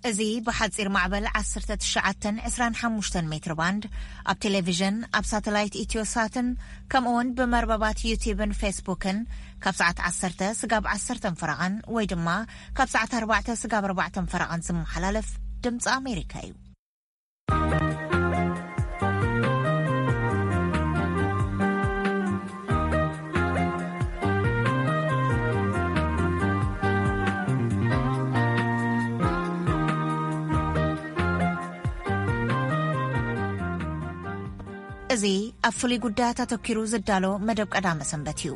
እዚ ብሓጺር ማዕበል ዓሰርተ ትሽዓተ ዕስራን ሓሙሽተን ሜትር ባንድ፣ ኣብ ቴሌቪዥን፣ ኣብ ሳተላይት ኢትዮሳትን፣ ከምኡውን ብመርበባት ዩቲዩብን ፌስቡክን ካብ ሰዓት ዓሰርተ ስጋብ ዓሰርተ ፈረቓን ወይ ድማ ካብ ሰዓት ኣርባዕተ ስጋብ ኣርባዕተ ፈረቓን ዝመሓላለፍ ድምፂ ኣሜሪካ እዩ። እዚ ኣብ ፍሉይ ጉዳያት ኣተኪሩ ዝዳሎ መደብ ቀዳመ ሰንበት እዩ።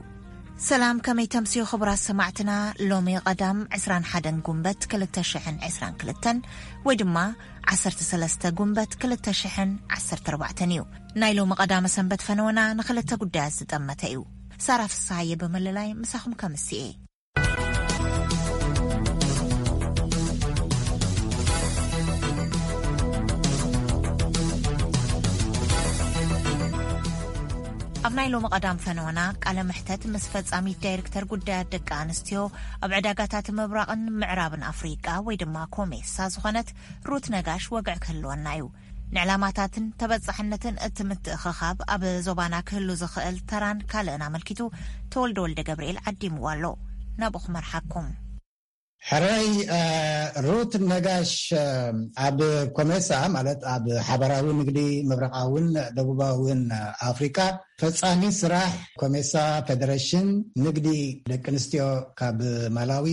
ሰላም፣ ከመይ ተምስዩ ክቡራት ሰማዕትና? ሎሚ ቀዳም ዕስራን ሓደን ጉንበት ክልተ ሽሕን ዕስራን ክልተን ወይ ድማ ዓሰርተ ሰለስተ ጉንበት ክልተ ሽሕን ዓሰርተ ኣርባዕተን እዩ። ናይ ሎሚ ቀዳመ ሰንበት ፈነወና ንክልተ ጉዳያት ዝጠመተ እዩ። ሳራ ፍስሃየ ብምልላይ ምሳኹም ከምስኤ። ኣብ ናይ ሎሚ ቀዳም ፈነወና ቃለ መሕተት ምስ ፈጻሚት ዳይሬክተር ጉዳያት ደቂ ኣንስትዮ ኣብ ዕዳጋታት ምብራቕን ምዕራብን ኣፍሪቃ ወይ ድማ ኮሜሳ ዝኾነት ሩት ነጋሽ ወግዒ ክህልወና እዩ። ንዕላማታትን ተበጻሕነትን እቲ ምትእኽኻብ ኣብ ዞባና ክህሉ ዝኽእል ተራን ካልእን ኣመልኪቱ ተወልደ ወልደ ገብርኤል ዓዲምዎ ኣሎ። ናብኡ ክመርሓኩም። ሕራይ፣ እ፣ ሩት ነጋሽ፣ እ፣ ኣብ ኮሜሳ፣ ማለት ኣብ ሓባራዊ ንግዲ ምብራቓውን ደቡባውን ኣፍሪቃ ፈጻሚ ስራሕ ኮሜሳ፣ ፌደሬሽን ንግዲ ደቂ ኣንስትዮ ካብ ማላዊ፣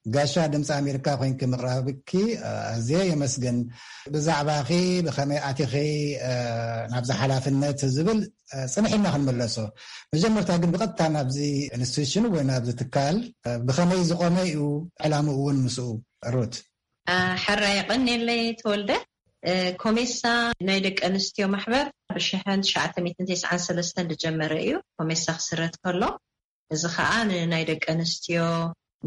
ጋሻ ድምፂ ኣሜሪካ ኮይንኪ ምቕራብኪ፣ እ፣ ኣዝየ የመስግን። ብዛዕባኺ ብኸመይ ኣቲኺ፣ እ፣ ናብዚ ሓላፍነት ዝብል፣ እ፣ ጽንሕ ኢልና ክንምለሶ። መጀመርታ ግን ብቐጥታ ናብዚ ኢንስቲትዩሽን ወይ ናብዚ ትካል፣ እ፣ ብኸመይ ዝቖመ እዩ፣ ዕላምኡ እውን ምስኡ፣ ሩት? እ፣ ሕራይ የቐንየለይ ተወልደ። እ፣ ኮሜሳ ናይ ደቂ ኣንስትዮ ማሕበር ብሽሕን ትሽዓተ ሚእትን ተስዓን ሰለስተን ዝጀመረ እዩ። ኮሜሳ ክስረት ከሎ፣ እዚ ኸኣ ንናይ ደቂ ኣንስትዮ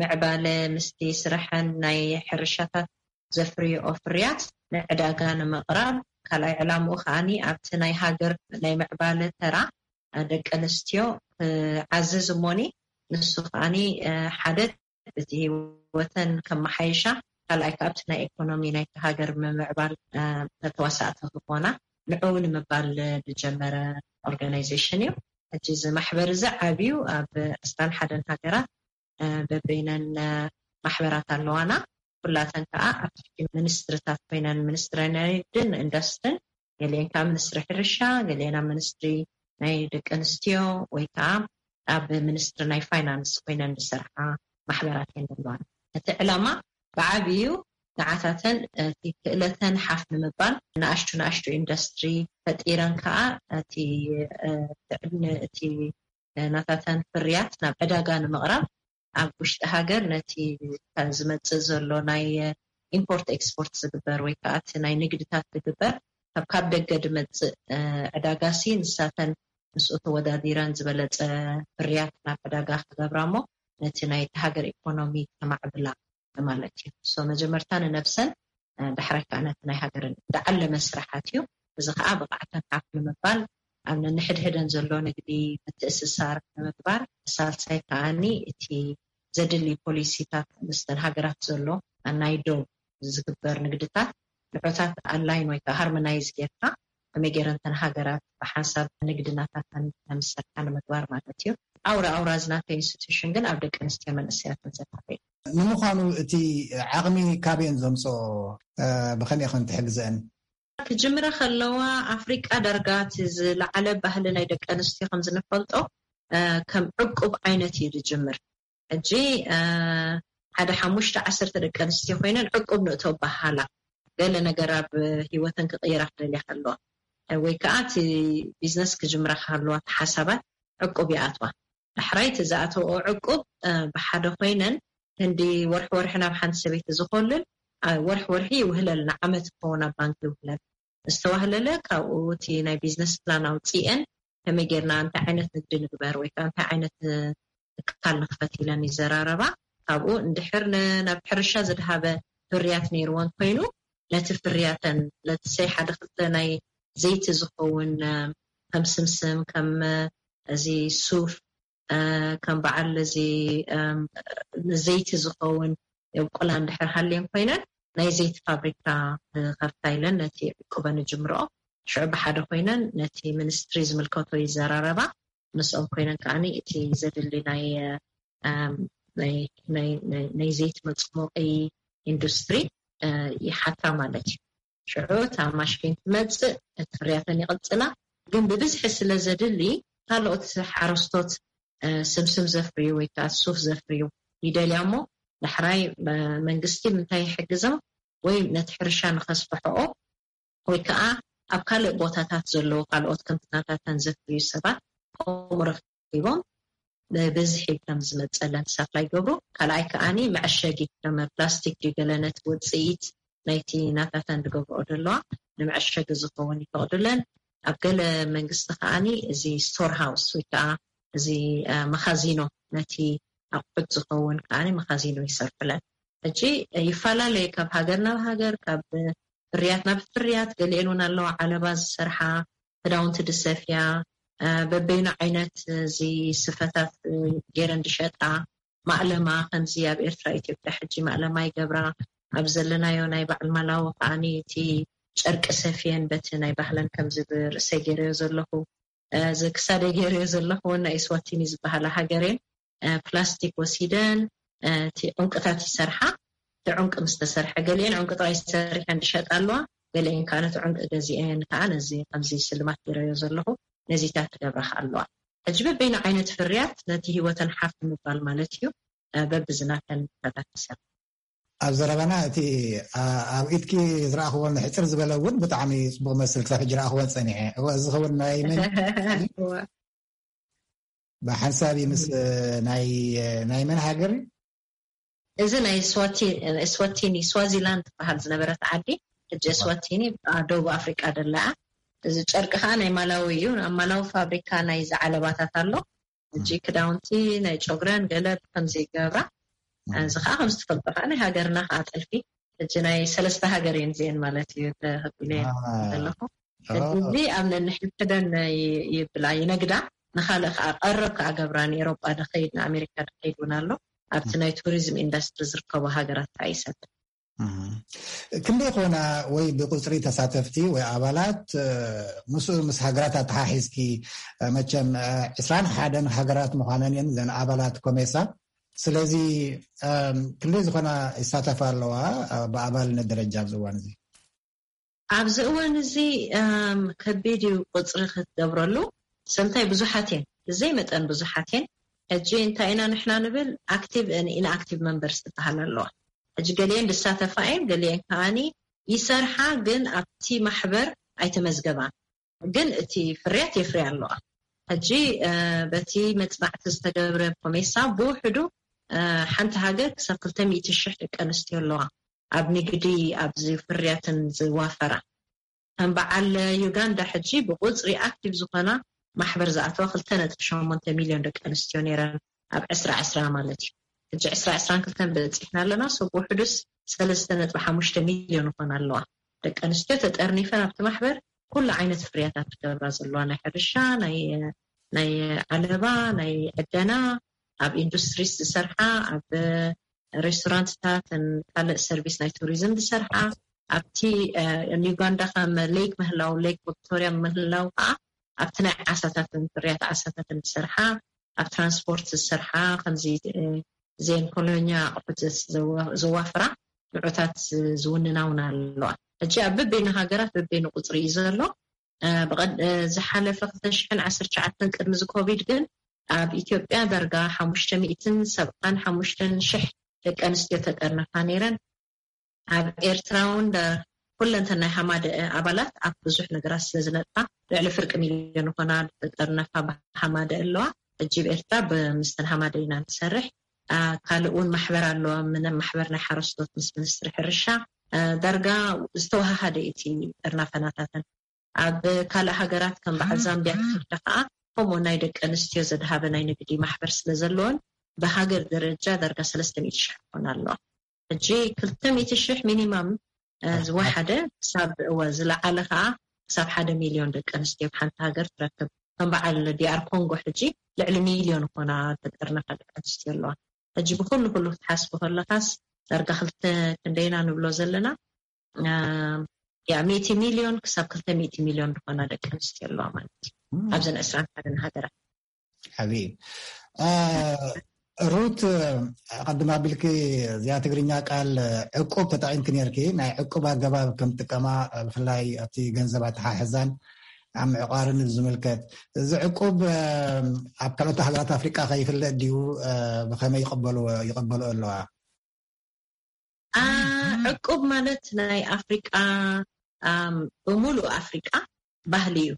ምዕባለ ምስቲ ስራሐን ናይ ሕርሻታት ዘፍርዮኦ ፍርያት ንዕዳጋ ንምቕራብ፣ ካልኣይ ዕላምኡ ከኣኒ ኣብቲ ናይ ሃገር ናይ ምዕባለ ተራ ደቂ ኣንስትዮ ክዓዝዝ እሞኒ፣ ንሱ ከኣኒ፣ እ፣ ሓደ እቲ ህይወተን ከመሓይሻ፣ ካልኣይ ከኣ ኣብቲ ናይ ኢኮኖሚ ናይቲ ሃገር ምምዕባል፣ እ፣ ተዋሳእቲ ክኾና ንዕኡ ንምባል ዝጀመረ ኦርጋናይዜሽን እዩ። ሕጂ እዚ ማሕበር እዚ ዓብዩ ኣብ ዕስራን ሓደን ሃገራት፣ እ፣ በበይነን፣ እ፣ ማሕበራት ኣለዋና። ኩላተን ከኣ ኣብ ትሕቲ ሚኒስትሪታት ኮይነን፣ ሚኒስትሪ ናይ ንግድን ኢንዱስትሪን፣ ገሊአን ከኣ ሚኒስትሪ ሕርሻ፣ ገሊአን ኣብ ሚኒስትሪ ናይ ደቂ ኣንስትዮ ወይ ከኣ ኣብ ሚኒስትሪ ናይ ፋይናንስ ኮይነን ዝሰርሓ ማሕበራት እየን ዘለዋና። እቲ ዕላማ ብዓብዩ ንዓታተን እቲ ክእለተን ሓፍ ንምባል ንኣሽቱ ንኣሽቱ ኢንዱስትሪ ፈጢረን ከኣ እቲ፣ እ፣ እቲ ናታተን ፍርያት ናብ ዕዳጋ ንምቕራብ ኣብ ውሽጢ ሃገር ነቲ ዝመጽእ ዘሎ ናይ ኢምፖርት ኤክስፖርት ዝግበር ወይ ከኣ እቲ ናይ ንግድታት ዝግበር ካብ፣ ካብ ደገ ዝመጽእ፣ እ፣ ዕዳጋሲ ንሳተን ምስኡ ተወዳዲረን ዝበለጸ ፍርያት ናብ ዕዳጋ ክገብራ እሞ ነቲ ናይቲ ሃገር ኢኮኖሚ ከማዕብላ ማለት እዩ። ሶ መጀመርታ ንነብሰን፣ እ፣ ዳሕራይ ከኣ ነቲ ናይ ሃገረን ዝዓለመ ስራሓት እዩ። እዚ ከኣ ብቕዓተን ሓፍ ንምባል ኣብ ነንሕድሕደን ዘሎ ንግዲ ምትእስሳር ንምግባር፣ ሳልሳይ ከኣኒ እቲ ዘድሊ ፖሊሲታት ምስተን ሃገራት ዘሎ ናይ ዶብ ዝግበር ንግድታት ንዖታት ኣላይን ወይ ከዓ ሃርሞናይዝ ጌርካ ከመይ ገይረን እተን ሃገራት ብሓንሳብ ንግዲ ናታተን ከም ዝሰርሓ ንምግባር ማለት እዩ። ኣውራ ኣውራ እዚ ናተይ ኢንስቲትዩሽን ግን ኣብ ደቂ ኣንስትዮ መንእሰያትን ዘተኮረ እዩ። ንምዃኑ እቲ ዓቕሚ ካበየን ዘምፅኦ፣ እ፣ ብኸመይ ኸን ትሕግዘን? ክጅምራ ከለዋ ኣፍሪቃ ዳርጋ እቲ ዝለዓለ ባህሊ ናይ ደቂ ኣንስትዮ ከም ዝንፈልጦ፣ እ፣ ከም ዕቁብ ዓይነት እዩ ዝጅምር። ሕጂ፣ እ፣ ሓደ ሓሙሽተ ዓሰርተ ደቂ ኣንስትዮ ኮይነን ዕቁብ ንእቶ በሃላ። ገለ ነገር ኣብ ህይወተን ክቕይራ ክደልያ ከለዋ፣ እ፣ ወይ ከዓ እቲ ቢዝነስ ክጅምራ ከለዋ እቲ ሓሳባት ዕቁብ ይኣትዋ። ዳሕራይ እቲ ዝኣተወኦ ዕቁብ፣ እ፣ ብሓደ ኮይነን ክንዲ ወርሒ ወርሒ ናብ ሓንቲ ሰበይቲ ዝኸልል፣ እ፣ ወርሒ ወርሒ ይውህለልና፣ ዓመት ክኸውን ኣብ ባንክ ይውህለል። ዝተዋህለለ ካብኡ እቲ ናይ ቢዝነስ ፕላን ኣውፅኤን ከመይ ጌርና እንታይ ዓይነት ንግዲ ንግበር ወይ ከዓ እንታይ ዓይነት፣ እ፣ ትካል ንክፈት ኢለን ይዘራረባ። ካብኡ እንድሕር ን-፣ ናብ ሕርሻ ዝድሃበ ፍርያት ነይርወን ኮይኑ ነቲ ፍርያተን ለትሰይ ሓደ ክልተ ናይ ዘይቲ ዝኸውን፣ እ፣ ከም ስምስም፣ ከም፣ እ፣ እዚ ሱፍ፣ እ፣ ከም በዓል እዚ፣ እም፣ ንዘይቲ ዝኸውን የብቁላ እንድሕር ሃልየን ኮይነን ናይ ዘይቲ ፋብሪካ ንኸፍታ ኢለን ነቲ ዕቁበን ንጅምርኦ። ሽዑ ብሓደ ኮይነን ነቲ ሚኒስትሪ ዝምልከቶ ይዘራረባ። ምስኦም ኮይነን ከዓኒ እቲ ዘድሊ ናይ፣ እም፣ ናይ፣ ናይ፣ ናይ፣ ናይ ዘይቲ መጽሞቒ ኢንዱስትሪ፣ እ፣ ይሓታ ማለት እዩ። ሽዑ እታ ማሽን ትመጽእ፣ እቲ ፍርያተን ይቕጽላ። ግን ብብዝሒ ስለ ዘድሊ፣ ካልኦት ሓረስቶት፣ እ፣ ስምስም ዘፍርዩ ወይ ከዓ ሱፍ ዘፍርዩ ይደልያ እሞ፣ ዳሕራይ፣ እ፣ መንግስቲ ምንታይ ይሕግዞም ወይ ነቲ ሕርሻ ንኸስፍሕኦ ወይ ከዓ ኣብ ካልእ ቦታታት ዘለዉ ካልኦት ከምቲ ናታተን ዘፍርዩ ሰባት ከምኡ ረኺቦም ብብዝሒ ከም ዝመፀለን ሳፕላይ ይገብሩ። ካልኣይ ከዓኒ መዐሸጊ ከም ፕላስቲክ ድዩ ገለ ነቲ ውፅኢት ናይቲ ናታተን ዝገብርኦ ዘለዋ ንመዐሸጊ ዝኸውን ይፈቕዱለን። ኣብ ገለ መንግስቲ ከዓኒ እዚ ስቶር ሃውስ ወይ ከዓ እዚ፣ እ፣ መኻዚኖ ነቲ ኣቑሑት ዝኸውን ከዓኒ መኻዚኖ ይሰርሑለን። ሕጂ ይፈላለዩ ካብ ሃገር ናብ ሃገር፣ ካብ ፍርያት ናብ ፍርያት። ገሊኤን እውን ኣለዋ ዓለባ ዝሰርሓ፣ ክዳውንቲ ዝሰፍያ፣ እ፣ በበይኑ ዓይነት እዚ ስፈታት፣ እ፣ ገይረን ዝሸጣ። ማእለማ ከምዚ ኣብ ኤርትራ፣ ኢትዮጵያ ሕጂ ማእለማ ይገብራ። ኣብ ዘለናዮ ናይ በዓል ማላዊ ከዓኒ እቲ ጨርቂ ሰፍየን በቲ ናይ ባህለን ከምዚ ብርእሰይ ገይረዮ ዘለኹ፣ እ፣ እዚ ክሳደይ ገይረዮ ዘለኹ እውን ናይ ስዋቲኒ ዝበሃላ ሃገሬን፣ እ፣ ፕላስቲክ ወሲደን፣ እ፣ እቲ ዕንቁታት ይሰርሓ። እቲ ዕንቁ ምስ ተሰርሐ፣ ገሊኤን ዕንቁ ጥራይ ሰሪሐን ዝሸጣ ኣለዋ፣ ገሊኤን ከዓ ነቲ ዕንቁ ገዚኤን ከዓ ነዚ ከምዚ ስልማት ገይረዮ ዘለኹ ነዚታት ትገብራ ከዓ ኣለዋ። ሕጂ በበይኑ ዓይነት ፍርያት ነቲ ህይወተን ሓፍ ምባል ማለት እዩ። እ፣ በብዝናተን ተታኪሰን። ኣብ ዘረባና እቲ፣ ኣ-፣ ኣብ ኢድኪ ዝረኣኽዎ ሕጽር ዝበለ እውን ብጣዕሚ ጽቡቕ መስል ክሳብ ሕጂ ረኣኽዎ ጸኒሐ። እወ፣ እዚ ዝኸውን ናይ መን? እወ። ብሓንሳብ እዩ ምስ ናይ፣ ናይ መን ሃገር? እዚ ናይ ስዋቲ-፣ ስዋቲኒ፣ ስዋዚላንድ ትበሃል ዝነበረት ዓዲ፣ ሕጂ ስዋቲኒ ኣብ ደቡብ ኣፍሪቃ ደላ እያ። እዚ ጨርቂ ከዓ ናይ ማላዊ እዩ። ኣብ ማላዊ ፋብሪካ ናይ ዝዓለባታት ኣሎ። ሕጂ ክዳውንቲ፣ ናይ ጨጉረን ገለ ከምዚ ይገብራ። እዚ ከዓ ከም ዝትፈልጦ ከዓ ናይ ሃገርና ከዓ ጥልፊ። ሕጂ ናይ ሰለስተ ሃገር እየን እዚአን ማለት እዩ ተኸቢለ ዘለኹ። ሕጂ እዚ ኣብ ነንሕድሕደን ይ-፣ ይብላ፣ ይነግዳ። ንኻልእ ከዓ ቀረብ ከዓ ገብራ፣ ንኤሮጳ ድኸይድ፣ ንኣሜሪካ ድኸይድ እውን ኣሎ። ኣብቲ ናይ ቱሪዝም ኢንዱስትሪ ዝርከቡ ሃገራት ከዓ ይሰድ። እም። ክንደይ ኮና ወይ ብቁጽሪ ተሳተፍቲ ወይ ኣባላት፣ እ፣ ምስኡ ምስ ሃገራት ኣተሓሒዝኪ፣ እ፣ መቸም፣ እ፣ ዕስራን ሓደን ሃገራት ምዃነን እየን ዘን ኣባላት ኮሜሳ። ስለዚ፣ እም፣ ክንደይ ዝኾና ይሳተፋ ኣለዋ፣ እ፣ ብኣባልነት ደረጃ ኣብዚ እዋን እዚ? ኣብዚ እዋን እዚ፣ እም፣ ከቢድ እዩ ቁጽሪ ክትገብረሉ። ሰምታይ ብዙሓት እየን፣ ብዘይ መጠን ብዙሓት እየን። ሕጂ እንታይ ኢና ንሕና ንብል፣ ኣክቲቭ ን ኢንኣክቲቭ መንበርስ ዝበሃል ኣለዋ። ሕጂ ገሊአን ዝሳተፋ እየን፣ ገሊአን ከዓኒ ይሰርሓ፣ ግን ኣብቲ ማሕበር ኣይተመዝገባን። ግን እቲ ፍርያት የፍርያ ኣለዋ። ሕጂ፣ እ፣ በቲ መጽናዕቲ ዝተገብረ ኮሜሳ ብውሕዱ፣ እ፣ ሓንቲ ሃገር ክሳብ ክልተ ሚእቲ ሽሕ ደቂ ኣንስትዮ ኣለዋ ኣብ ንግዲ፣ ኣብዚ ፍርያትን ዝዋፈራ። ከም በዓል ዩጋንዳ ሕጂ ብቁጽሪ ኣክቲቭ ዝኾና ማሕበር ዝኣተዋ ክልተ ነጥቢ ሸሞንተ ሚልዮን ደቂ ኣንስትዮ ነይረን ኣብ ዕስራ ዕስራ ማለት እዩ። ሕጂ ዕስራ ዕስራን ክልተን በጺሕና ኣለና። ሰብ ውሕዱስ ሰለስተ ነጥቢ ሓሙሽተ ሚልዮን ይኾና ኣለዋ። ደቂ ኣንስትዮ ተጠርኒፈን ኣብቲ ማሕበር ኩሉ ዓይነት ፍርያታት ትገብራ ዘለዋ፣ ናይ ሕርሻ፣ ናይ፣ ናይ ዓለባ፣ ናይ ዕደና፣ ኣብ ኢንዱስትሪስ ዝሰርሓ፣ ኣብ ሬስቶራንትታትን ካልእ ሰርቪስ ናይ ቱሪዝም ዝሰርሓ፣ ኣብቲ፣ እ፣ ዩጋንዳ ከም ሌክ ምህላው፣ ሌክ ቪክቶሪያ ምህላው ከዓ ኣብቲ ናይ ዓሳታትን ፍርያት ዓሳታትን ዝሰርሓ፣ ኣብ ትራንስፖርት ዝሰርሓ፣ ከምዚ፣ እ፣ ዜን ኮሎኛ ኣቑሑት ዘስ-፣ ዘዋ-፣ ዘዋፍራ ንዑታት ዝ-፣ ዝውንና እውን ኣለዋ። ሕጂ ኣብ በበይኑ ሃገራት በበይኑ ቁጽሪ እዩ ዘሎ። እ፣ ብቐድ-፣ እ፣ ዝሓለፈ ክልተ ሽሕን ዓሰርተ ትሽዓተን ቅድሚ እዚ ኮቪድ ግን ኣብ ኢትዮጵያ ዳርጋ ሓሙሽተ ሚእትን ሰብዓን ሓሙሽተን ሽሕ ደቂ ኣንስትዮ ተጠርነፋ ነይረን። ኣብ ኤርትራ እውን ደ-፣ ኩለንተናይ ሃማደ ኣባላት ኣብ ብዙሕ ነገራት ስለ ዝነጥፋ ልዕሊ ፍርቂ ሚልዮን ዝኾና ተጠርነፋ ብሃማደ ኣለዋ። ሕጂ ኣብ ኤርትራ ብ-፣ ምስተን ሃማደ ኢና ንሰርሕ። ኣ፣ ካልእ እውን ማሕበር ኣለዋ። ምን-፣ ማሕበር ናይ ሓረስቶት ምስ ሚኒስትሪ ሕርሻ፣ እ፣ ዳርጋ ዝተወሃሃደ እቲ ጥርናፈናታተን። ኣብ ካልእ ሃገራት ከም በዓል ዛምቢያ ትፍርደ ከኣ ከምኡ ናይ ደቂ ኣንስትዮ ዘድሃበ ናይ ንግዲ ማሕበር ስለ ዘለወን ብሃገር ደረጃ ዳርጋ ሰለስተ ሚእቲ ሽሕ ክኾና ኣለዋ። ሕጂ ክልተ ሚእቲ ሽሕ ሚኒማም፣ እ፣ ዝወሓደ ክሳብ፣ እወ፣ ዝለዓለ ከኣ ክሳብ ሓደ ሚልዮን ደቂ ኣንስትዮ ኣብ ሓንቲ ሃገር ትረክብ። ከም በዓል ዲኣር ኮንጎ ሕጂ ልዕሊ ሚልዮን ኮና ተጠርነፋ ደቂ ኣንስትዮ ኣለዋ። ሕጂ ብኩሉ ኩሉ ክትሓስቡ ከለኻስ ዳርጋ ክልተ ክንደይና ንብሎ ዘለና ያ ሚእቲ ሚልዮን ክሳብ ክልተ ሚእቲ ሚልዮን ዝኾና ደቂ ኣንስትዮ ኣለዋ ማለት እዩ። ኣብዘን ዕስራን ሓደን ሃገራት። ሓቢ ሩት፣ ቀድም ኣቢልኪ እዚኣ ትግርኛ ቃል ዕቁብ ተጠቒምኪ ነርኪ። ናይ ዕቁብ ኣገባብ ከም ጥቀማ፣ ብፍላይ ኣብቲ ገንዘብ ኣተሓሕዛን ኣብ ምዕቋርን ዝምልከት፣ እዚ ዕቁብ ኣብ ካልኦት ሃገራት ኣፍሪቃ ከይፍለጥ ድዩ? ብኸመይ ይቕበልዎ ይቕበልኦ ኣለዋ? ዕቁብ ማለት ናይ ኣፍሪቃ፣ ብሙሉእ ኣፍሪቃ ባህሊ እዩ።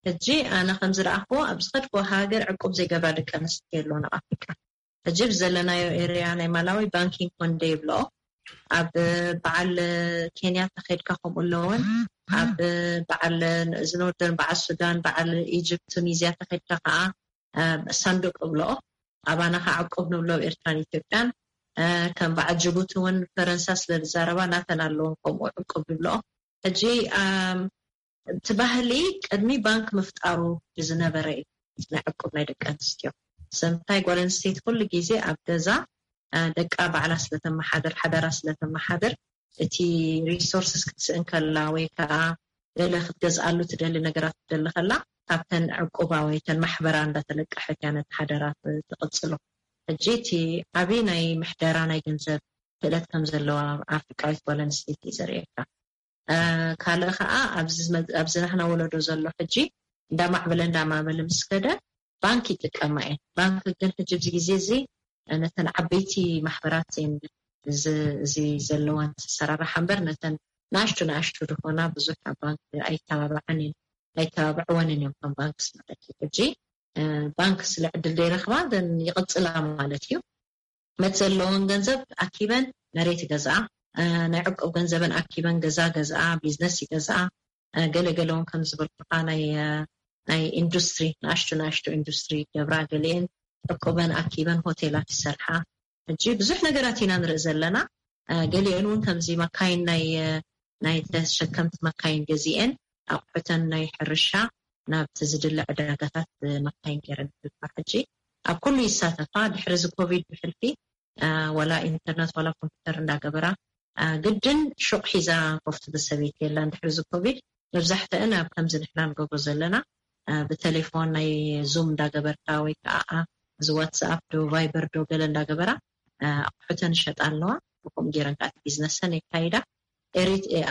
ሕጂ ኣነ ከም ዝረኣኽዎ ኣብ ዝኸድክዎ ሃገር ዕቁብ ዘይገብራ ደቂ ኣንስትዮ ኣለዋ ኣብ ኣፍሪቃ። ሕጂ ብዘለናዮ ኤርያ ናይ ማላዊ ባንኪንግ ኮንደ ይብልኦ። ኣብ በዓል ኬንያ ተኸድካ ከምኡ ኣለውን፣ ኣብ በዓል ዝኖርደርን በዓል ሱዳን በዓል ኢጅፕት ቱኒዝያ ተኸድካ ከዓ ሳንዱቅ እብልኦ። ኣባና ከዓ ዕቁብ ንብሎ ኣብ ኤርትራን ኢትዮጵያን። ከም በዓል ጅቡቲ እውን ፈረንሳ ስለ ዝዛረባ ናተን ኣለውን ከምኡ ዕቁብ ይብልኦ። ሕጂ እቲ ባህሊ ቅድሚ ባንክ ምፍጣሩ ዝነበረ እዩ። ናይ ዕቁብ ናይ ደቂ ኣንስትዮ ሰምታይ ጓል ኣንስተይቲ ኩሉ ግዜ ኣብ ገዛ ደቃ ባዕላ ስለተመሓደር ሓደራ ስለተመሓደር እቲ ሪሶርስስ ክትስእን ከላ ወይ ከዓ ገለ ክትገዝኣሉ ትደሊ ነገራት ክትደሊ ከላ ካብተን ዕቁባ ወይ ተን ማሕበራ እንዳተለቀሐት እያ ነቲ ሓደራ ትቕፅሎ። ሕጂ እቲ ዓብዪ ናይ ምሕደራ ናይ ገንዘብ ክእለት ከም ዘለዋ ኣፍሪቃዊት ጓል ኣንስተይቲ እዩ ዘርእየካ። ካልእ ከዓ ኣብዚ ናህና ወለዶ ዘሎ ሕጂ እንዳማዕበለ እንዳማዕበለ ምስ ከደ ባንክ ይጥቀማ እየን። ባንክ ግን ሕጂ ኣብዚ ግዜ እዚ ነተን ዓበይቲ ማሕበራት እየን እዚ ዘለወን ዝሰራርሓ እምበር ነተን ንኣሽቱ ንኣሽቱ ዝኾና ብዙሕ ኣብ ባንክ ኣይተባብዓን እየን ኣይተባብዕወንን እዮም ከም ባንክስ ማለት እዩ። ሕጂ ባንክ ስለ ዕድል ዘይረኽባ ይቕፅላ ማለት እዩ። መት ዘለዎን ገንዘብ ኣኪበን መሬት ይገዝኣ፣ ናይ ዕቁብ ገንዘበን ኣኪበን ገዛ ገዝኣ፣ ቢዝነስ ይገዝኣ። ገለገለውን ከም ዝበልኩካ ናይ ናይ ኢንዱስትሪ ንኣሽቱ ንኣሽቱ ኢንዱስትሪ ይገብራ፣ ገሊአን ዕቁበን ኣኪበን ሆቴላት ይሰርሓ። ሕጂ ብዙሕ ነገራት ኢና ንርኢ ዘለና። ገሊአን እውን ከምዚ መካይን ናይ ናይ ተሸከምቲ መካይን ገዚኤን ኣቑሑተን ናይ ሕርሻ ናብቲ ዝድለ ዕዳጋታት መካይን ገይረን ይልካ። ሕጂ ኣብ ኩሉ ይሳተፋ። ድሕሪ እዚ ኮቪድ ብሕልፊ ዋላ ኢንተርነት ዋላ ኮምፒውተር እንዳገበራ ግድን ሹቕ ሒዛ ኮፍ ትብል ሰበይቲ የላን። ድሕሪ እዚ ኮቪድ መብዛሕትአን ኣብ ከምዚ ንሕና ንገብሮ ዘለና ብቴሌፎን ናይ ዙም እንዳገበርካ ወይ ከዓ እዚ ዋትስኣፕ ዶ ቫይበር ዶ ገለ እንዳገበራ ኣቑሑተን ይሸጣ ኣለዋ። ብከምኡ ገይረን ከዓ ቢዝነሰን የካይዳ።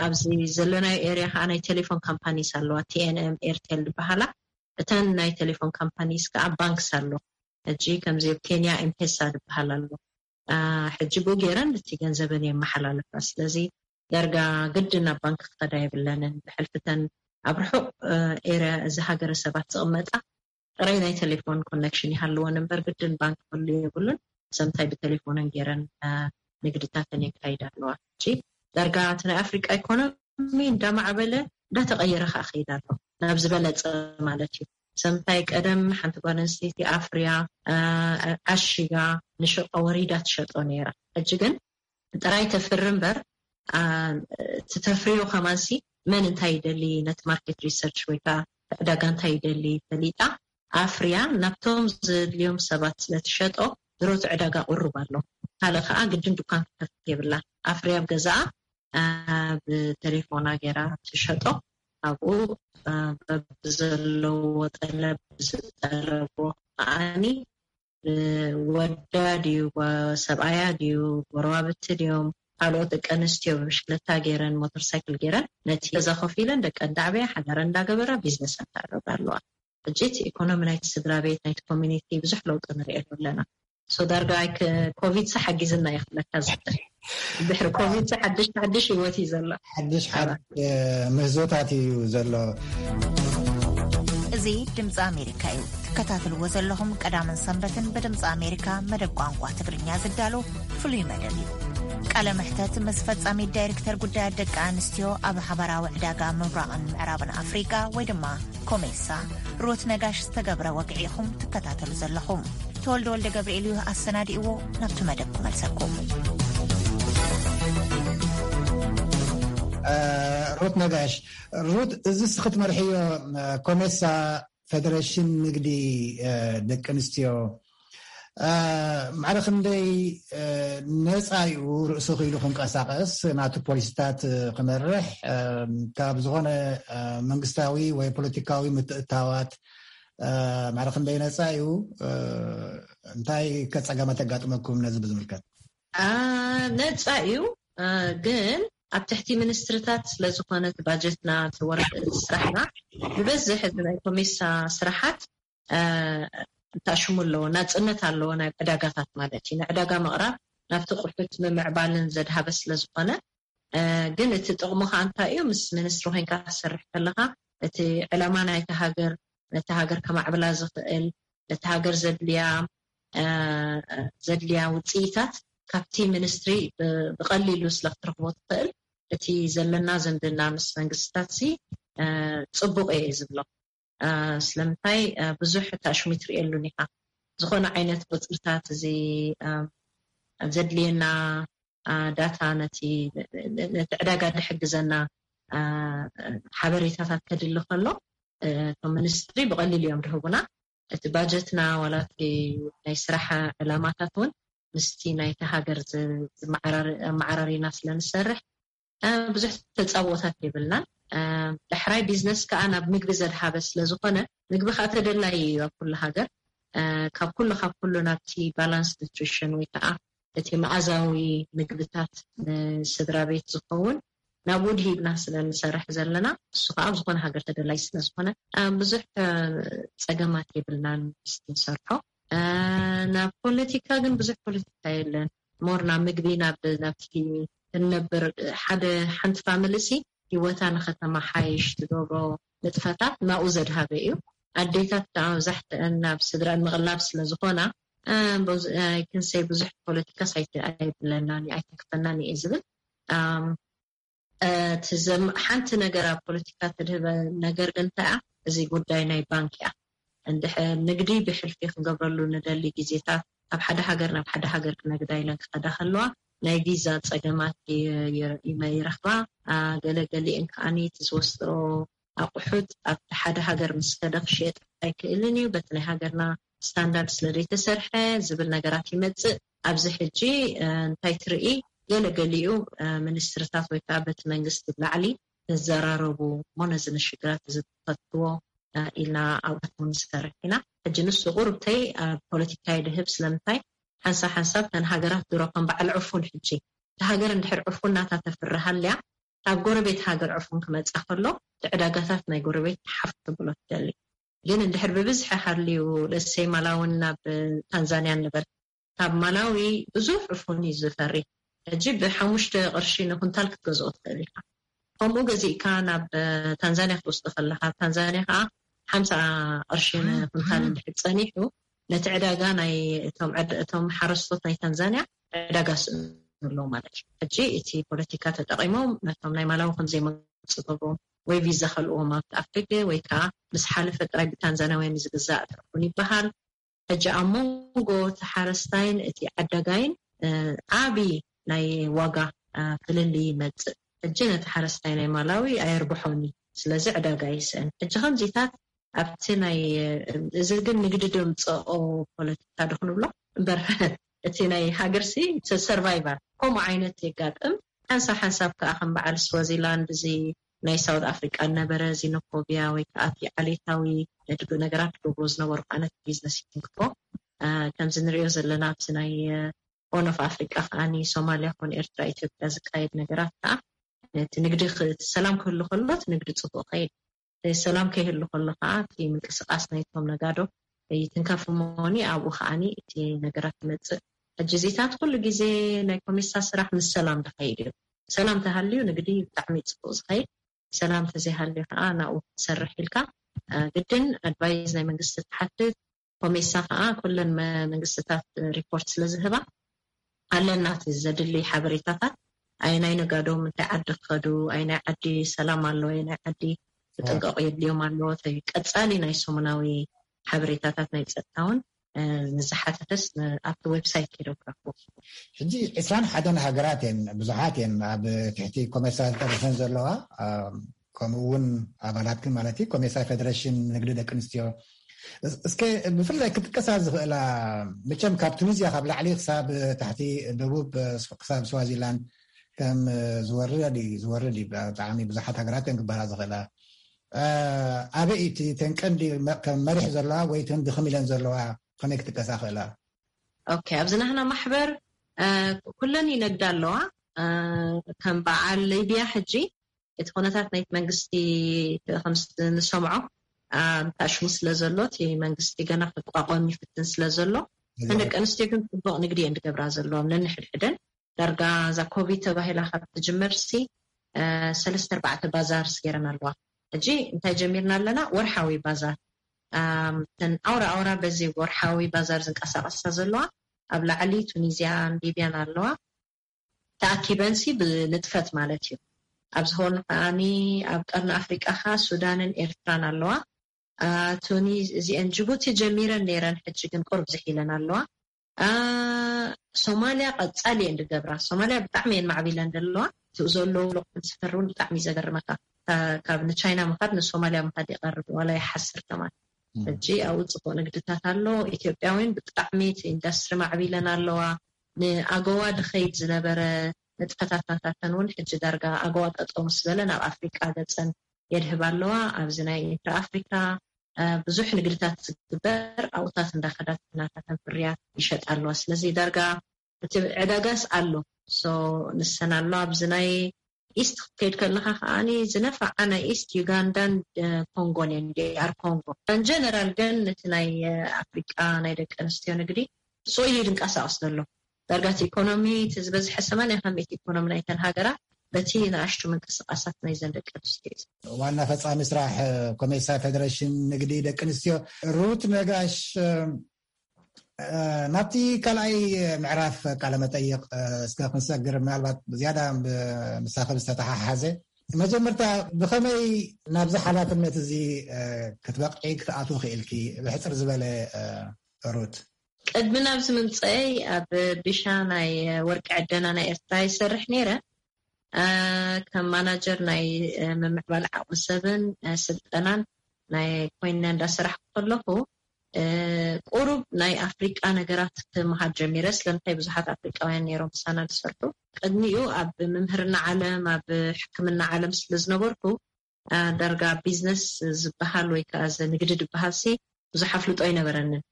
ኣብዚ ዘለናዮ ኤርያ ከዓ ናይ ቴሌፎን ካምፓኒስ ኣለዋ። ቲኤንኤም ኤርቴል ዝበሃላ እተን ናይ ቴሌፎን ካምፓኒስ ከዓ ባንክስ ኣሎ። ሕጂ ከምዚ ኣብ ኬንያ ኤምፔሳ ዝበሃል ኣሎ። ሕጂ ብኡ ገይረን እቲ ገንዘበን የመሓላለፋ። ስለዚ ዳርጋ ግድን ናብ ባንክ ክኸዳ የብለንን። ብሕልፍተን ኣብ ርሑቕ ኤርያ እዚ ሃገረ ሰባት ዝቕመጣ ጥራይ ናይ ቴሌፎን ኮነክሽን ይሃልወን እምበር ግድን ባንክ ክህሉ የብሉን። ሰምታይ ብቴሌፎነን ገይረን ንግድታተን የካይዳ ኣለዋ። ሕጂ ዳርጋ እቲ ናይ ኣፍሪቃ ኢኮኖሚ እንዳማዕበለ እንዳተቐየረ ከዓ ከይዳ ኣሎ ናብ ዝበለፀ ማለት እዩ። ሰምታይ ቀደም ሓንቲ ጓል ኣንስተይቲ ኣፍርያ ዓሺጋ ንሸቀ ወሪዳ ትሸጦ ነይራ። ሕጂ ግን ጥራይ ተፍሪ እምበር ትተፍርዮ ከማንሲ መን እንታይ ይደሊ ነቲ ማርኬት ሪሰርች ወይ ከዓ ዕዳጋ እንታይ ይደሊ ፈሊጣ ኣፍርያ ናብቶም ዘድልዮም ሰባት ስለትሸጦ ድሮቲ ዕዳጋ ቁሩብ ኣሎ። ካልእ ከዓ ግድን ዱካን ክትከፍት የብላ። ኣፍርያ ኣብ ገዛኣ ብቴሌፎና ገይራ ትሸጦ ኣብኡ በብዘለዎ ጠለብ ዝጠለቦ ከዓኒ ወዳ ድዩ ሰብኣያ ድዩ ጎረባብቲ ድዮም ካልኦት ደቂ ኣንስትዮ ብብሽክለታ ገይረን ሞተር ሳይክል ገይረን ነቲ ገዛ ኮፍ ኢለን ደቀን ዳዕበያ ሓዳረን እንዳገበራ ቢዝነስ ኣተዓረባ ኣለዋ። ሕጂ እቲ ኢኮኖሚ ናይቲ ስድራ ቤት ናይቲ ኮሚኒቲ ብዙሕ ለውጢ ንሪኤሉ ኣለና። ሶ ዳርጋ ኮቪድ ሳ ሓጊዝና ይኽለካ ዝብል ድሕሪ ኮቪድ ሳ ሓድሽ ሓድሽ ህይወት እዩ ዘሎ። ሓድሽ ሓድሽ ምህዞታት እዩ ዘሎ። እዚ ድምፂ ኣሜሪካ እዩ ትከታተልዎ ዘለኹም። ቀዳምን ሰንበትን ብድምፂ ኣሜሪካ መደብ ቋንቋ ትግርኛ ዝዳሎ ፍሉይ መደብ እዩ። ቃለ መሕተት ምስ ፈጻሚት ዳይሬክተር ጉዳያት ደቂ ኣንስትዮ ኣብ ሓባራዊ ዕዳጋ ምብራቕን ምዕራብን ኣፍሪቃ ወይ ድማ ኮሜሳ ሩት ነጋሽ ዝተገብረ ወግዒ ኢኹም ትከታተሉ ዘለኹም። ተወልደ ወልደ ገብርኤል እዩ ኣሰናዲእዎ። ናብቲ መደብ ክመልሰኩም። ሩት ነጋሽ፣ ሩት፣ እዚ እስኺ ትመርሕዮ ኮሜሳ ፌደሬሽን ንግዲ ደቂ ኣንስትዮ ማዕረ ክንደይ ነፃ እዩ ርእሱ ክኢሉ ክንቀሳቀስ፣ ናቱ ፖሊሲታት ክመርሕ፣ ካብ ዝኾነ መንግስታዊ ወይ ፖለቲካዊ ምትእታዋት ማዕረ ክንደይ ነፃ እዩ? እንታይ ከፀገማት የጋጥመኩም ነዚ ብዝምልከት? ነፃ እዩ፣ ግን ኣብ ትሕቲ ሚኒስትርታት ስለዝኾነ እቲ ባጀትና፣ እቲ ወረቀት፣ እቲ ስራሕና ብበዝሕ እዚ ናይ ኮሜሳ ስራሓት ተኣሽሙ ኣለዎ፣ ናፅነት ኣለዎ፣ ናይ ዕዳጋታት ማለት እዩ። ንዕዳጋ ምቕራብ ናብቲ ቁሑት ምምዕባልን ዘድሃበ ስለዝኾነ፣ ግን እቲ ጥቕሙ ከዓ እንታይ እዩ? ምስ ሚኒስትሪ ኮይንካ ክትሰርሕ ከለካ እቲ ዕላማ ናይቲ ሃገር፣ ነቲ ሃገር ከማዕብላ ዝኽእል፣ ነቲ ሃገር ዘድልያ ዘድልያ ውፅኢታት ካብቲ ሚኒስትሪ ብቀሊሉ ስለ ክትረኽቦ ትኽእል፣ እቲ ዘለና ዝምድና ምስ መንግስትታት ሲ ፅቡቅ እየ ዝብሎ። ስለምንታይ ብዙሕ ታሽሙ ትርእየሉን ኢኻ። ዝኾነ ዓይነት ቁፅርታት እዚ ዘድልየና ዳታ፣ ነቲ ዕዳጋ ዝሕግዘና ሓበሬታታት ከድሊ ከሎ፣ እቶም ሚኒስትሪ ብቐሊሉ እዮም ዝህቡና። እቲ ባጀትና ዋላ እቲ ናይ ስራሕ ዕላማታት እውን ምስቲ ናይቲ ሃገር ኣመዓራሪና ስለንሰርሕ ብዙሕ ተፃብኦታት የብልናን። ዳሕራይ ቢዝነስ ከዓ ናብ ምግቢ ዘድሃበ ስለዝኾነ፣ ምግቢ ከዓ ተደላይ እዩ ኣብ ኩሉ ሃገር። ካብ ኩሉ ካብ ኩሉ ናብቲ ባላንስ ኒትሪሽን ወይ ከዓ እቲ መኣዛዊ ምግብታት ንስድራ ቤት ዝኸውን ናብኡ ድሂብና ስለንሰርሕ ዘለና፣ እሱ ከዓ ኣብ ዝኾነ ሃገር ተደላይ ስለዝኾነ ብዙሕ ፀገማት የብልናን ምስቲ ንሰርሖ። ናብ ፖለቲካ ግን ብዙሕ ፖለቲካ የለን። ሞር ናብ ምግቢ ናብ ናብቲ እንነብር ሓደ ሓንቲ ፋሚሊ ሲ ህይወታ ንኸተማሓይሽ ትገብሮ ንጥፈታት ናብኡ ዘድሃበ እዩ። ኣዴታት ከዓ መብዛሕትአን ናብ ስድራ ምቕላብ ስለዝኾና ክንሰይ ብዙሕ ፖለቲካ ሳይቲ ኣይብለናን ኣይተክፈናን እየ ዝብል። እቲ ሓንቲ ነገር ኣብ ፖለቲካ ትድህበ ነገር ግን እንታይ እያ? እዚ ጉዳይ ናይ ባንክ እያ። እንድሕር ንግዲ ብሕልፊ ክንገብረሉ ንደሊ ግዜታት፣ ካብ ሓደ ሃገር ናብ ሓደ ሃገር ክነግዳ ኢለን ክኸዳ ከለዋ ናይ ቪዛ ፀገማት ይረኽባ። ገለገሊእን ከዓኒ እቲ ዝወስድኦ ኣቑሑት ኣብቲ ሓደ ሃገር ምስ ከደ ክሽየጥ ኣይክእልን እዩ፣ በቲ ናይ ሃገርና ስታንዳርድ ስለ ዘይተሰርሐ ዝብል ነገራት ይመፅእ። ኣብዚ ሕጂ እንታይ ትርኢ? ገለገሊኡ ሚኒስትርታት ወይ ከዓ በቲ መንግስቲ ብላዕሊ ንዘራረቡ እሞ ነዚ ንሽግራት እዚ ትፈትዎ ኢልና ኣብኡ ንሰርሕ ኢና። ሕጂ ንሱ ቁርብተይ ኣብ ፖለቲካ ይድህብ። ስለምንታይ ሓንሳብ ሓንሳብ ተን ሃገራት ድሮ ከም በዓል ዕፉን፣ ሕጂ እቲ ሃገር እንድሕር ዕፉን ናታ ተፍርሃልያ፣ ካብ ጎረቤት ሃገር ዕፉን ክመፃ ከሎ እቲ ዕዳጋታት ናይ ጎረቤት ሓፍ ክብሎ ትደሊ። ግን እንድሕር ብብዝሒ ሃልዩ ለሰይ ማላውን ናብ ታንዛንያ ንበል፣ ካብ ማላዊ ብዙሕ ዕፉን እዩ ዝፈሪ። ሕጂ ብሓሙሽተ ቅርሺ ንኩንታል ክትገዝኦ ትኽእል ኢኻ። ከምኡ ገዚእካ ናብ ታንዛንያ ክትወስዶ ከለካ፣ ኣብ ታንዛንያ ከዓ ሓምሳ ቅርሺ ንኩንታል እንድሕር ፀኒሑ፣ ነቲ ዕዳጋ ናይ እቶም ሓረስቶት ናይ ታንዛንያ ዕዳጋ ስእኑ ኣለዉ ማለት እዩ። ሕጂ እቲ ፖለቲካ ተጠቂሞም ነቶም ናይ ማላዊ ከምዘይመፁ ገብሮም ወይ ቪዛ ከልዎም ኣብቲ ኣፍሪቂ ወይ ከዓ ምስ ሓለፈ ጥራይ ብታንዛንያውያን ዝግዛእ ትርፉን ይበሃል። ሕጂ ኣብ መንጎ እቲ ሓረስታይን እቲ ዓዳጋይን ዓቢ ናይ ዋጋ ፍልልይ ይመፅእ። ሕጂ ነቲ ሓረስታይ ናይ ማላዊ ኣየርብሖኒ፣ ስለዚ ዕዳጋ ይስእን። ሕጂ ከምዚታት ኣብቲ ናይ እዚ ግን ንግዲ ደምፀኦ ፖለቲካ ዶ ክንብሎ እምበር እቲ ናይ ሃገርሲ ሰርቫይቫል ከምኡ ዓይነት የጋጥም። ሓንሳብ ሓንሳብ ከዓ ከም በዓል ስዋዚላንድ እዚ ናይ ሳውት ኣፍሪቃ ነበረ፣ ዚኖፎቢያ ወይ ከዓ እቲ ዓሌታዊ ድግ ነገራት ድገብሮ ዝነበሩ ዓይነት ቢዝነስ ይትንክፎ። ከምዚ ንሪኦ ዘለና ኣብዚ ናይ ኦን ኦፍ ኣፍሪቃ ከዓኒ ሶማሊያ ኮን ኤርትራ ኢትዮጵያ ዝካየድ ነገራት ከዓ እቲ ንግዲ ሰላም ክህሉ ከሎ እቲ ንግዲ ፅቡቅ ከይድ፣ ሰላም ከይህሉ ከሎ ከዓ እቲ ምንቅስቃስ ናይቶም ነጋዶ ይትንከፍ እሞኒ ኣብኡ ከዓኒ እቲ ነገራት ይመፅእ። ሕጂ እዚታት ኩሉ ግዜ ናይ ኮሜሳ ስራሕ ምስ ሰላም ዝኸይድ እዩ። ሰላም ተሃልዩ ንግዲ ብጣዕሚ ፅቡቅ ዝኸይድ፣ ሰላም ተዘይሃልዩ ከዓ ናብኡ ክትሰርሕ ኢልካ ግድን ኣድቫይዝ ናይ መንግስቲ ትሓትት። ኮሜሳ ከዓ ኩለን መንግስትታት ሪፖርት ስለዝህባ ኣለና እቲ ዘድሊ ሓበሬታታት፣ ኣየናይ ነጋዶ ምንታይ ዓዲ ክኸዱ፣ ኣየናይ ዓዲ ሰላም ኣሎ፣ ኣየናይ ዓዲ ክጥንቀቁ የድልዮም ኣሎ፣ ቀፃሊ ናይ ሰሙናዊ ሓበሬታታት ናይ ፀጥታ እውን ንዝሓተተስ ኣብቲ ዌብሳይት ከይዶም ክረክቡ። ሕጂ ዕስራን ሓደን ሃገራት እየን፣ ብዙሓት እየን ኣብ ትሕቲ ኮሜሳ ዝጠርፈን ዘለዋ፣ ከምኡ እውን ኣባላትክን ማለት እዩ። ኮሜሳ ፌደሬሽን ንግዲ ደቂ ኣንስትዮ እስከ ብፍላይ ክጥቀሳ ዝኽእላ፣ መቸም ካብ ቱኒዝያ ካብ ላዕሊ ክሳብ ታሕቲ፣ ደቡብ ክሳብ ስዋዚላንድ ከም ዝወርድ እዩ፣ ዝወርድ እዩ። ብጣዕሚ ብዙሓት ሃገራት እየን ክበሃላ ዝኽእላ። ኣበይ እቲ ተን ቀንዲ ከም መሪሕ ዘለዋ ወይ ተን ድኽም ኢለን ዘለዋ ከመይ ክጥቀሳ ክእላ? ኦኬ፣ ኣብዚ ናህና ማሕበር ኩለን ይነግዳ ኣለዋ። ከም በዓል ሊብያ ሕጂ እቲ ኩነታት ናይቲ መንግስቲ ንሰምዖ፣ ታሽሙ ስለ ዘሎ፣ እቲ መንግስቲ ገና ክቋቋም ይፍትን ስለ ዘሎ፣ ንደቂ ኣንስትዮ ግን ፅቡቅ ንግዲ እየን ዝገብራ ዘለዋ ነንሕድሕደን። ዳርጋ እዛ ኮቪድ ተባሂላ ካብ ትጅመርሲ ሰለስተ ኣርባዕተ ባዛርስ ገይረን ኣለዋ። ሕጂ እንታይ ጀሚርና ኣለና? ወርሓዊ ባዛር። ተን ኣውራ ኣውራ በዚ ወርሓዊ ባዛር ዝንቀሳቀሳ ዘለዋ ኣብ ላዕሊ ቱኒዝያን ሊብያን ኣለዋ። ተኣኪበንሲ ብንጥፈት ማለት እዩ። ኣብ ዝኾኑ ከዓኒ ኣብ ቀርኒ ኣፍሪቃ ከ ሱዳንን ኤርትራን ኣለዋ። ቱኒ እዚአን ጅቡቲ ጀሚረን ነይረን፣ ሕጂ ግን ቁርብ ዝሒለን ኣለዋ። ሶማልያ ቀጻሊ እየን ዝገብራ። ሶማልያ ብጣዕሚ እየን ማዕቢለን ዘለዋ። እቲኡ ዘለዉ ሎቅን ስፈር እውን ብጣዕሚ እዩ ዘገርመካ። ካብ ንቻይና ምኻድ ንሶማልያ ምኻድ ይቐርብ፣ ዋላ ይሓስር ከማን። ሕጂ ኣብኡ ፅቡቅ ንግድታት ኣሎ። ኢትዮጵያ እውን ብጣዕሚ እቲ ኢንዳስትሪ ማዕቢለን ኣለዋ። ንኣገዋ ድኸይድ ዝነበረ ንጥፈታት ናታተን እውን ሕጂ ዳርጋ ኣገዋ ጠጠው ምስ በለ ናብ ኣፍሪቃ ገፀን የድህባ ኣለዋ። ኣብዚ ናይ ኢንትራ ኣፍሪካ ብዙሕ ንግድታት ዝግበር ኣብኡታት እንዳኸዳት ናታተን ፍርያት ይሸጣ ኣለዋ። ስለዚ ዳርጋ እቲ ዕዳጋስ ኣሎ። ንሰን ኣሎ ኣብዚ ናይ ኢስት ክትከይድ ከለካ ከዓኒ ዝነፋዓ ናይ ኢስት ዩጋንዳን ኮንጎን እየን፣ ዲኣር ኮንጎ። ንጀነራል ግን እቲ ናይ ኣፍሪቃ ናይ ደቂ ኣንስትዮ ንግዲ ብፅኡ እዩ ድንቀሳቀስ ዘሎ። ዳርጋ እቲ ኢኮኖሚ እቲ ዝበዝሐ ሰማንያ ካብ ሚእቲ ኢኮኖሚ ናይተን ሃገራት በቲ ንኣሽቱ ምንቅስቃሳት ናይዘን ደቂ ኣንስትዮ እዩ። ዋና ፈፃሚ ስራሕ ኮሜሳ ፌደሬሽን ንግዲ ደቂ ኣንስትዮ ሩት ነጋሽ፣ ናብቲ ካልኣይ ምዕራፍ ቃለ መጠይቅ እስከ ክንሰግር፣ ምናልባት ዝያዳ ምሳኺ ዝተተሓሓዘ፣ መጀመርታ ብኸመይ ናብዚ ሓላፍነት እዚ ክትበቅዒ ክትኣትዊ ክኢልኪ? ብሕፅር ዝበለ ሩት። ቅድሚ ናብዚ ምምፀይ ኣብ ቢሻ ናይ ወርቂ ዕደና ናይ ኤርትራ ይሰርሕ ነይረ። ከም ማናጀር ናይ ምምዕባል ዓቕሚ ሰብን ስልጠናን ናይ ኮይነ እንዳሰራሕኩ ከለኹ፣ ቁሩብ ናይ ኣፍሪቃ ነገራት ክምሃር ጀሚረ። ስለምንታይ ብዙሓት ኣፍሪቃውያን ነይሮም ምሳና ዝሰርሑ። ቅድሚኡ ኣብ ምምህርና ዓለም፣ ኣብ ሕክምና ዓለም ስለ ዝነበርኩ፣ ዳርጋ ቢዝነስ ዝበሃል ወይ ከዓ እዚ ንግዲ ዝበሃል ሲ ብዙሕ ኣፍልጦ ኣይነበረንን።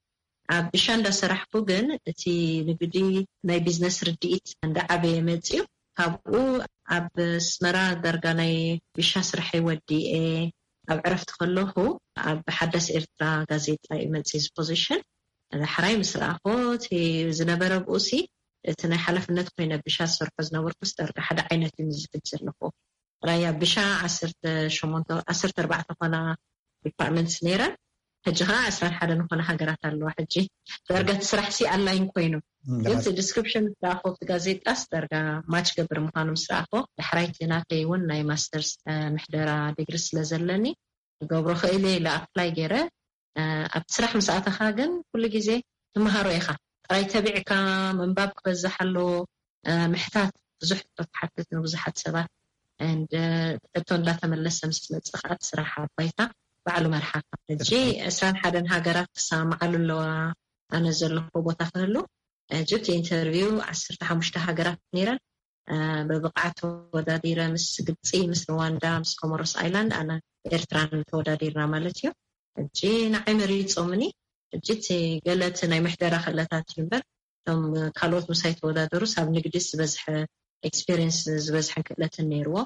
ኣብ ቢሻ እንዳሰራሕኩ ግን እቲ ንግዲ ናይ ቢዝነስ ርድኢት እንዳዓበየ መፅዩ። ካብኡ ኣብ ኣስመራ ዳርጋ ናይ ቢሻ ስራሐይ ወዲኤ ኣብ ዕረፍቲ ከለኹ ኣብ ሓዳስ ኤርትራ ጋዜጣ እዩ መፅዩ እዚ ፖዚሽን። ዳሕራይ ምስ ረኣኹ እቲ ዝነበረ ብኡሲ እቲ ናይ ሓላፍነት ኮይነ ቢሻ ዝሰርሖ ዝነበርኩስ ዳርጋ ሓደ ዓይነት እዩ ምስ ዝሕጅ ዘለኹ። ራያ ቢሻ ዓሰርተ ሸሞንተ ዓሰርተ ኣርባዕተ ኮና ዲፓርትመንትስ ነይረን። ሕጂ ከዓ ዕስራን ሓደን ዝኾነ ሃገራት ኣለዋ። ሕጂ ዳርጋ እቲ ስራሕ ሲ ኣላይን ኮይኑ ግን እቲ ዲስክሪፕሽን ምስ ረኣኹ ኣብቲ ጋዜጣስ ዳርጋ ማች ገብር ምዃኑ ምስ ረኣኹ ዳሕራይቲ ናተይ እውን ናይ ማስተርስ ምሕደራ ዲግሪ ስለ ዘለኒ ገብሮ ክእል ኢለ ኣፕላይ ገይረ ኣብቲ ስራሕ ምስ ኣተኻ ግን ኩሉ ግዜ ትመሃሮ ኢኻ። ጥራይ ተቢዕካ ምንባብ ክበዝሕ ኣለዎ። ምሕታት ብዙሕ ሕቶ ትሓትት ንብዙሓት ሰባት and ሕቶ እንዳተመለሰ ምስ መፅእ ከዓ እቲ ስራሕ ኣብ ባይታ ባዕሉ መርሓካ። ሕጂ ዕስራን ሓደን ሃገራት ክሰማማዓሉ ኣለዋ ኣነ ዘለኹ ቦታ ክህሉ። ሕጂ እቲ ኢንተርቪው ዓሰርተ ሓሙሽተ ሃገራት ነይረን። ብብቕዓት ተወዳዲረ ምስ ግብፂ፣ ምስ ሩዋንዳ፣ ምስ ኮሞሮስ ኣይላንድ ኣነ ኤርትራን ተወዳዲርና ማለት እዩ። ሕጂ ንዓይ መሪፆምኒ። ሕጂ እቲ ገለ እቲ ናይ ምሕደራ ክእለታት እዩ እምበር እቶም ካልኦት ምሳይ ተወዳደሩስ ኣብ ንግዲ ዝበዝሐ ኤክስፔሪንስ ዝበዝሐን ክእለትን ነይርዎ።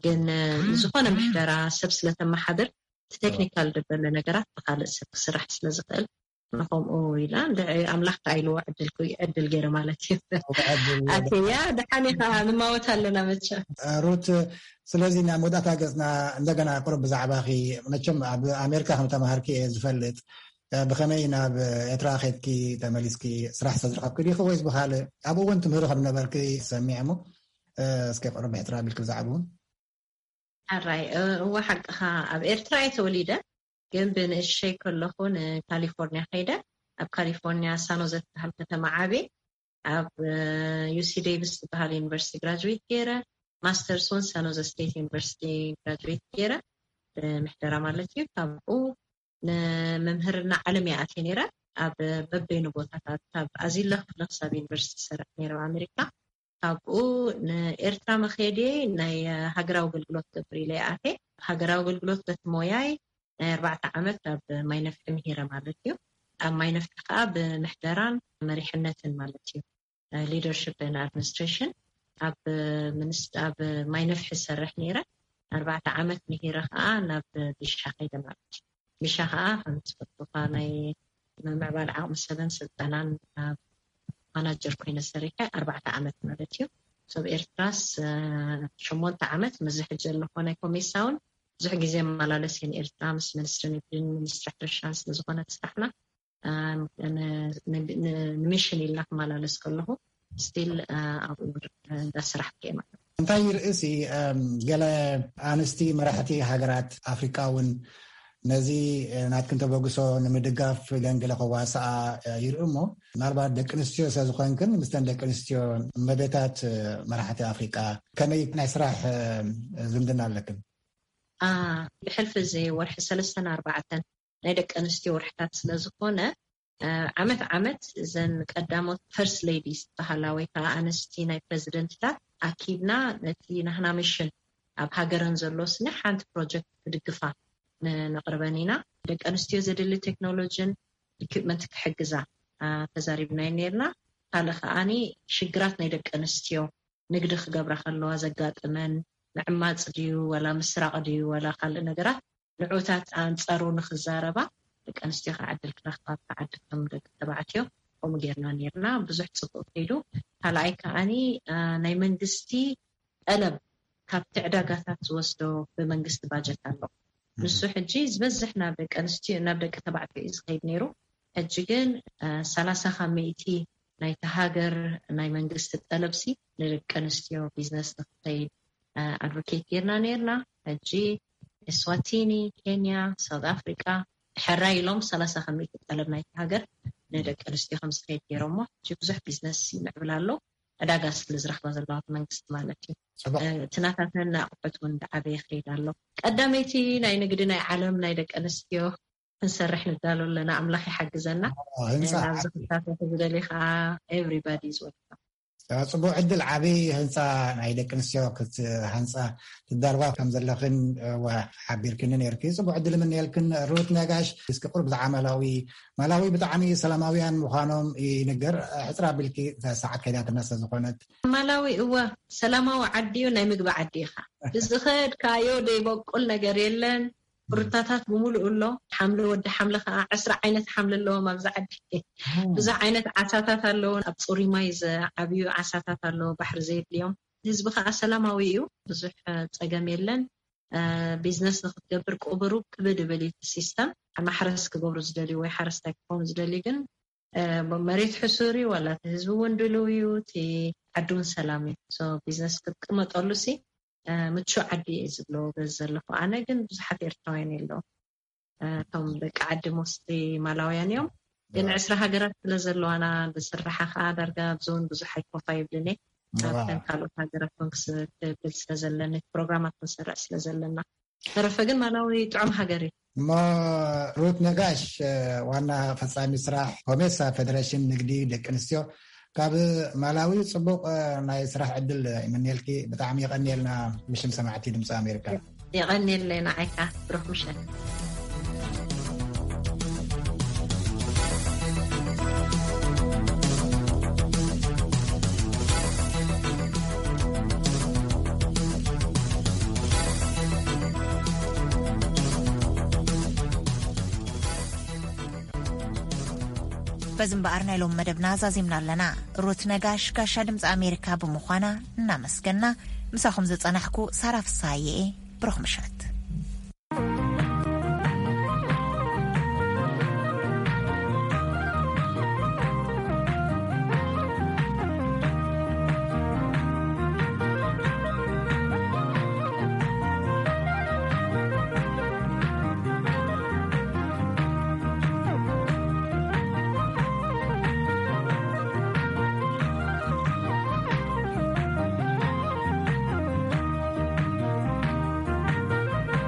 ግን ዝኾነ ምሕደራ ሰብ ስለተመሓድር እቲ ቴክኒካል ዝበለ ነገራት ብካልእ ሰብ ክስራሕ ስለዝኽእል ንከምኡ ኢላ እንድዒ ኣምላኽ ከኣይልዎ ዕድል ገይረ ማለት እዩ። ኣትያ ደሓን ከዓ ንማወት ኣለና መቸ ሩት። ስለዚ ናብ መወዳእታ ገፅና እንደገና ቁሩብ ብዛዕባኺ፣ መቸም ኣብ ኣሜሪካ ከም ተማሃርኪ እየ ዝፈልጥ። ብኸመይ ናብ ኤርትራ ኸድኪ ተመሊስኪ ስራሕ ዝተዝረኸብኪ ዲኺ ወይስ ብኻልእ? ኣብኡ እውን ትምህሪ ከም ነበርኪ ሰሚዐ እሞ እስኪ ቁሩብ ብሕፅር ኣቢልኪ ብዛዕባኡ። ሕራይ እወ ሓቅኻ ኣብ ኤርትራ እየ ተወሊደ፣ ግን ብንእሸይ ከለኹ ንካሊፎርኒያ ከይደ። ኣብ ካሊፎርኒያ ሳኖዘ ትበሃል ከተማ ዓብየ። ኣብ ዩሲ ዴቪስ ዝበሃል ዩኒቨርሲቲ ግራጅዌት ገይረ። ማስተርስ እውን ሳኖዘ ስቴት ዩኒቨርሲቲ ግራጅዌት ገይረ፣ ብምሕደራ ማለት እዩ። ካብኡ ንመምህርና ዓለም እየ ኣትየ ነይረ። ኣብ በበይኑ ቦታታት ካብ ኣዚለ ክፍለ ክሳብ ዩኒቨርሲቲ ዝሰርሕ ነይረ ኣብ ኣሜሪካ። ካብኡ ንኤርትራ መኸዲ ናይ ሃገራዊ ኣገልግሎት ገብር ኢለ ይኣቴ። ሃገራዊ ኣገልግሎት በቲ ሞያይ ናይ ኣርባዕተ ዓመት ኣብ ማይነፍሒ ምሂረ ማለት እዩ። ኣብ ማይነፍሒ ከዓ ብምሕደራን መሪሕነትን ማለት እዩ፣ ሊደርሽፕ ን ኣድሚኒስትሬሽን ኣብ ሚኒስ ኣብ ማይነፍሒ ዝሰርሕ ነይረ። ኣርባዕተ ዓመት ምሂረ ከዓ ናብ ቢሻ ከይደ ማለት እዩ። ቢሻ ከዓ ከም ትፈልጡካ ናይ ምምዕባል ዓቕሚ ሰብን ስልጠናን ማናጀር ኮይነ ሰሪሐ ኣርባዕተ ዓመት ማለት እዩ። ሰብ ኤርትራስ ሸሞንተ ዓመት ምስዚ ሕጂ ዘለኮ ናይ ኮሜሳ እውን ብዙሕ ግዜ መላለስ እየን ኤርትራ ምስ ሚኒስትሪ ንግድን ሚኒስትሪ ሕርሻን ስለዝኮነ ስራሕና ንሚሽን ኢልና ክመላለስ ከለኹ ስቲል ኣብኡ እንዳስራሕ ማለት። እንታይ ይርእሲ ገለ ኣንስቲ መራሕቲ ሃገራት ኣፍሪቃ እውን ነዚ ናትክን ተበግሶ ንምድጋፍ ገንገለ ከዋስኣ ይርኢ እሞ፣ ምናልባት ደቂ ኣንስትዮ ስለዝኾንክን ምስተን ደቂ ኣንስትዮ መቤታት መራሕቲ ኣፍሪቃ ከመይ ናይ ስራሕ ዝምድና ኣለክን? ብሕልፊ እዚ ወርሒ ሰለስተን ኣርባዕተን ናይ ደቂ ኣንስትዮ ወርሕታት ስለዝኾነ ዓመት ዓመት እዘን ቀዳሞት ፈርስት ሌዲስ ዝበሃላ ወይ ከዓ ኣንስቲ ናይ ፕረዚደንትታት ኣኪብና ነቲ ናህና ሚሽን ኣብ ሃገረን ዘሎ ስኒ ሓንቲ ፕሮጀክት ክድግፋ ነቕርበን ኢና። ደቂ ኣንስትዮ ዘድሊ ቴክኖሎጂን ኢኩፕመንት ክሕግዛ ተዛሪብና ነርና። ካልእ ከዓኒ ሽግራት ናይ ደቂ ኣንስትዮ ንግዲ ክገብራ ከለዋ ዘጋጥመን ምዕማፅ ድዩ ወላ ምስራቕ ድዩ ወላ ካልእ ነገራት ንዑታት ኣንፃሩ ንክዛረባ ደቂ ኣንስትዮ ከዓ ዕድል ክረክባ ብዓዲ ከም ደቂ ተባዕትዮ ከምኡ ጌርና ነርና። ብዙሕ ፅቡቅ ከይዱ። ካልኣይ ከዓኒ ናይ መንግስቲ ጠለብ ካብቲ ዕዳጋታት ዝወስዶ ብመንግስቲ ባጀት ኣሎ። ንሱ ሕጂ ዝበዝሕ ናብ ደቂ ኣንስትዮ ናብ ደቂ ተባዕትዮ እዩ ዝኸይድ ነይሩ። ሕጂ ግን ሰላሳ ካብ ሚእቲ ናይቲ ሃገር ናይ መንግስቲ ጠለብሲ ንደቂ ኣንስትዮ ቢዝነስ ንክኸይድ ኣድቮኬት ጌርና ነርና። ሕጂ ኤስዋቲኒ፣ ኬንያ፣ ሳውት ኣፍሪቃ ሕራይ ኢሎም ሰላሳ ካብ ሚእቲ ጠለብ ናይቲ ሃገር ንደቂ ኣንስትዮ ከም ዝኸይድ ገይሮሞ ሕጂ ብዙሕ ቢዝነስ ይምዕብል ኣሎ። ዕዳጋ ስለ ዝረኽባ ዘለዋ መንግስቲ ማለት እዩ። እቲ ናታተን ኣቑሑት እውን እንዳዓበየ ይኸይድ ኣሎ። ቀዳመይቲ ናይ ንግዲ ናይ ዓለም ናይ ደቂ ኣንስትዮ ክንሰርሕ ንዳሎ ኣለና። ኣምላኽ ይሓግዘና። ህንፃ ናብዚ ክሳተፍ ዝደሊ ከዓ ኤቭሪባዲ ዝወልካ። ጽቡቅ ዕድል። ዓቢ ህንፃ ናይ ደቂ ኣንስትዮ ክትሃንፃ ትዳርባ ከም ዘለኽን ሓቢርክኒ ነርኪ። ጽቡቅ ዕድል ምንየልክን። ሩት ነጋሽ፣ እስኪ ቁሩብ ብዛዕባ ማላዊ። ማላዊ ብጣዕሚ ሰላማውያን ምዃኖም ይንገር። ሕፅራ ቢልኪ ሰዓት ከይዳትና ስለዝኾነት። ማላዊ እወ ሰላማዊ ዓዲ እዩ፣ ናይ ምግቢ ዓዲ ኢኻ። ብዝኸድካዮ ዘይበቁል ነገር የለን። ሩታታት ብምሉኡ ኣሎ። ሓምሊ፣ ወዲ ሓምሊ ከዓ ዕስራ ዓይነት ሓምሊ ኣለዎም ኣብዚ ዓዲ። ብዙሕ ዓይነት ዓሳታት ኣለዎ። ኣብ ፅሩይ ማይ ዝዓብዩ ዓሳታት ኣለዎ፣ ባሕሪ ዘየድልዮም። ህዝቢ ከዓ ሰላማዊ እዩ። ብዙሕ ፀገም የለን። ቢዝነስ ንክትገብር ቁብሩ ክብድ ይብል እዩ እቲ ሲስተም። ማሕረስ ክገብሩ ዝደልዩ ወይ ሓረስታይ ክኾኑ ዝደልዩ ግን መሬት ሕሱር እዩ፣ ዋላ እቲ ህዝቢ እውን ድልው እዩ፣ እቲ ዓዲ እውን ሰላም እዩ። ቢዝነስ ክትቅመጠሉ ሲ ምቹ ዓዲ እየ ዝብሎ በዚ ዘለኹ። ኣነ ግን ብዙሓት ኤርትራውያን የለዉ። እቶም ደቂ ዓዲ ሞስሊ ማላውያን እዮም። ግን ዕስራ ሃገራት ስለ ዘለዋና፣ ብስራሓ ከዓ ዳርጋ ኣብዚ እውን ብዙሕ ኣይኮፋ ይብልን እየ። ኣብተን ካልኦት ሃገራት እውን ክብል ስለ ዘለኒ፣ ፕሮግራማት ክንሰርዕ ስለ ዘለና። ተረፈ ግን ማላዊ ጥዑም ሃገር እዩ። እሞ ሩት ነጋሽ፣ ዋና ፈጻሚ ስራሕ ኮሜሳ ፌደሬሽን ንግዲ ደቂ ኣንስትዮ፣ ካብ ማላዊ ጽቡቕ ናይ ስራሕ ዕድል ይምንየልኪ። ብጣዕሚ የቐንየልና ብሽም ሰማዕቲ ድምፂ ኣሜሪካ። የቐንየለይ ንዓይካ። ብሩኽ ምሸት። በዚ እምበኣር ናይ ሎም መደብና ዛዚምና ኣለና። ሩት ነጋሽ ጋሻ ድምፂ ኣሜሪካ ብምዃና እናመስገና፣ ምሳኹም ዝጸናሕኩ ሳራ ፍሳሃየ እየ። ብሩኽ ምሸት።